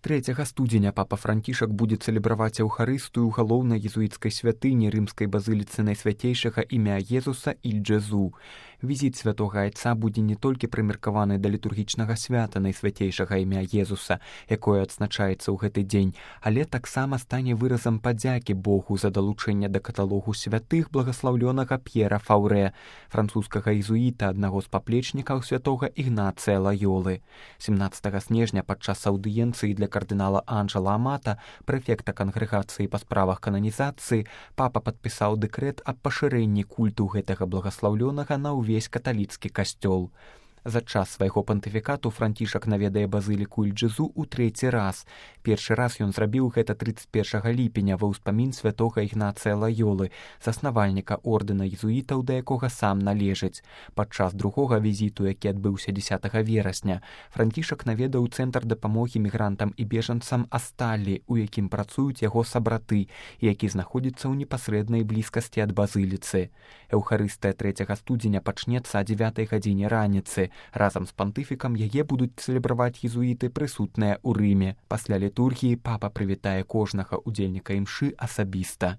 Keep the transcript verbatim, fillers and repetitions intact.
трэцяга студзеня папа Францішак будзе цэлебраваць эўхарыстыю ў галоўнай езуіцкай святыні рымскай базыліцы найсвяцейшага імя Езуса Иль-Джезу. Візіт святога айца будзе не толькі прымеркаваны да літургічнага свята найсвяцейшага імя Езуса, якое адзначаецца ў гэты дзень, але таксама стане выразам падзякі Богу за далучэнне да каталогу святых благаслаўлёнага П'ера Фаўрэ, французскага езуіта, аднаго з паплечнікаў святога Ігнацыя Лаёлы. семнаццатага снежня падчас аўдыенцыі для кардынала Анжела Амата, прэфекта кангрэгацыі па справах кананізацыі, папа падпісаў дэкрэт аб пашырэнні культу гэтага благаслаўлёнага на ўвесь каталіцкі касцёл. За час свайго пантыфікату Францішак наведае базыліку Иль-Джезу ў трэці раз. Першы раз ён зрабіў гэта трыццаць першага ліпеня ва ўспамін святога Ігнацыя Лаёлы, заснавальніка ордэна езуітаў, да якога сам належыць. Падчас другога візіту, які адбыўся дзесятага верасня, Францішак наведаў цэнтр дапамогі мігрантам і бежанцам Асталлі, у якім працуюць яго сабраты, які знаходзіцца ў непасрэднай блізкасці ад базыліцы. Эўхарыстыя трэцяга студзеня пачнецца о дзевятай гадзіне раніцы. Разам з пантыфікам яе будуць цэлебраваць езуіты, прысутныя ў Рыме. Пасля літургіі папа прывітае кожнага ўдзельніка імшы асабіста.